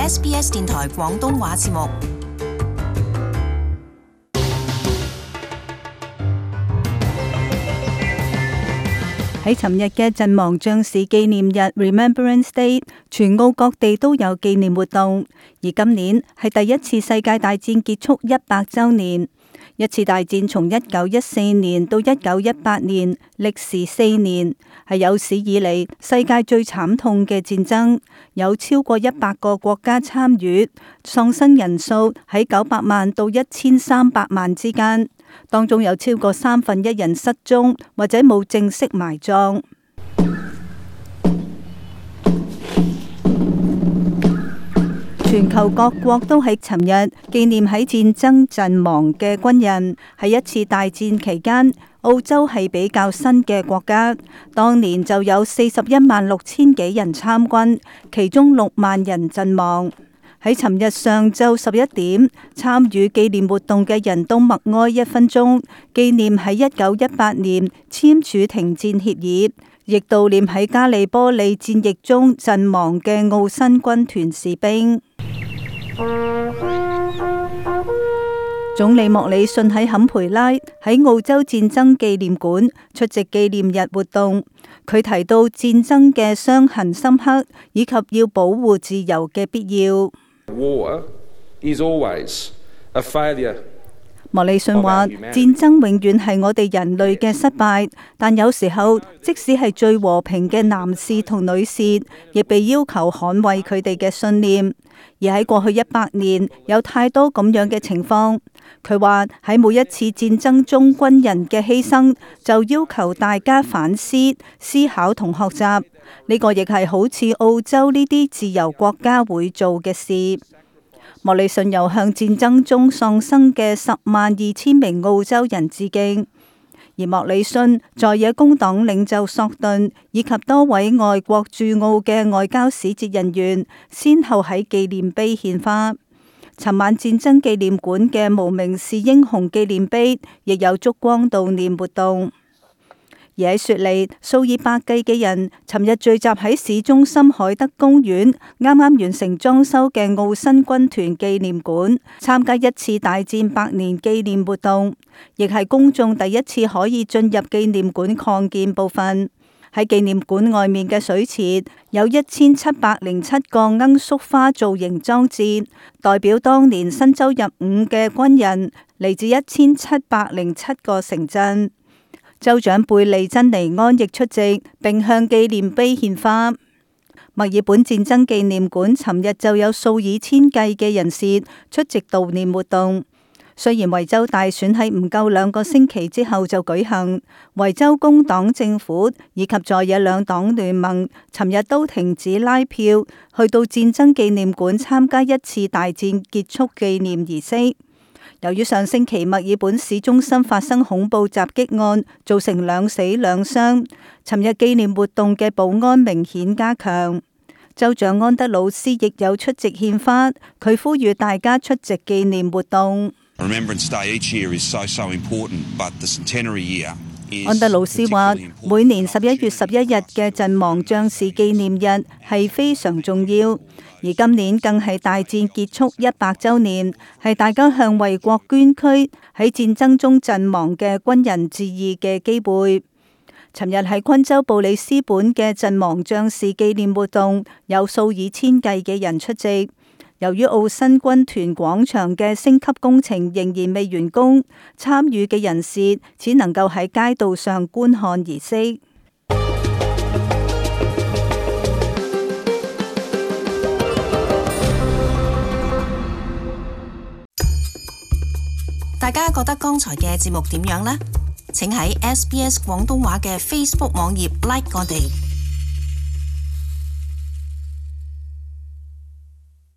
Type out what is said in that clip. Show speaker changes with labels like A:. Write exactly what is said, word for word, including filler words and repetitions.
A: S B S 電台廣東話節目。
B: 喺尋日嘅陣亡將士紀念日 Remembrance Day， 全澳各地都有紀念活動。而今年係第一次世界大戰結束一百週年。一次大戰從一九一四年到一九一八年，歷時四年，係有史以嚟世界最慘痛嘅戰爭，有超過一百個國家參與，喪生人數喺九百萬到一千三百萬之間。當中有超過三分一人失蹤或者冇正式埋葬。全球各國都喺尋日紀念喺戰爭陣亡嘅軍人。喺一次大戰期間，澳洲係比較新嘅國家，當年就有四十一萬六千幾人參軍，其中六萬人陣亡。喺尋日上晝十一點，參與紀念活動嘅人都默哀一分鐘，紀念喺一九一八年簽署停戰協議，亦悼念喺加利波利戰役中陣亡嘅澳新軍團士兵。總理莫里遜喺坎培拉喺澳洲戰爭紀念館出席紀念日活動，佢提到戰爭嘅傷痕深刻，以及要保護自由嘅必要。
C: War is always a failure.
B: 莫里遜話：戰爭永遠係我哋人類嘅失敗，但有時候即使係最和平嘅男士同女士，亦被要求捍衛佢哋嘅信念。而喺過去一百年，有太多咁樣嘅情況。佢話喺每一次戰爭中，軍人嘅犧牲就要求大家反思、思考同學習。呢個亦係好似澳洲呢啲自由國家會做嘅事。莫里遜又向戰爭中喪生嘅十萬二千名澳洲人致敬。而莫里遜、在野工黨領袖索頓以及多位外國駐澳嘅外交使節人員，先後喺紀念碑獻花。尋晚戰爭紀念館嘅無名氏英雄紀念碑亦有燭光悼念活動。而喺雪梨，數以百計嘅人尋日聚集喺市中心海德公園，啱啱完成裝修嘅澳新軍團紀念館，參加一次大戰百年紀念活動，亦係公眾第一次可以進入紀念館擴建部分。喺紀念館外面嘅水池有一千七百零七個罌粟花造型裝置，代表當年新州入伍嘅軍人，嚟自一千七百零七個城鎮。州長貝利珍尼安亦出席，並向紀念碑獻花。墨爾本戰爭紀念館尋日就有數以千計嘅人士出席悼念活動。雖然維州大選喺唔夠兩個星期之後就舉行，維州工黨政府以及在野兩黨聯盟尋日都停止拉票，去到戰爭紀念館參加一次大戰結束紀念儀式。由於上星期墨爾本市中心發生恐怖襲擊案，造成兩死兩傷，尋日紀念活動嘅保安明顯加強。州長安德魯斯亦有出席獻花，佢呼籲大家出席紀念活動。安德魯斯話：每年十一月十一日嘅陣亡將士紀念日係非常重要，而今年更係大戰結束一百週年，係大家向為國捐軀喺戰爭中陣亡嘅軍人致意嘅機會。尋日喺昆州布里斯本嘅陣亡將士紀念活動，有數以千計嘅人出席。由於澳新軍團廣場嘅升級工程仍然未完工，參與嘅人士只能夠喺街道上觀看儀式。
A: 大家覺得剛才嘅節目點樣呢？請喺 S B S 廣東話嘅 Facebook 網頁 like 我哋。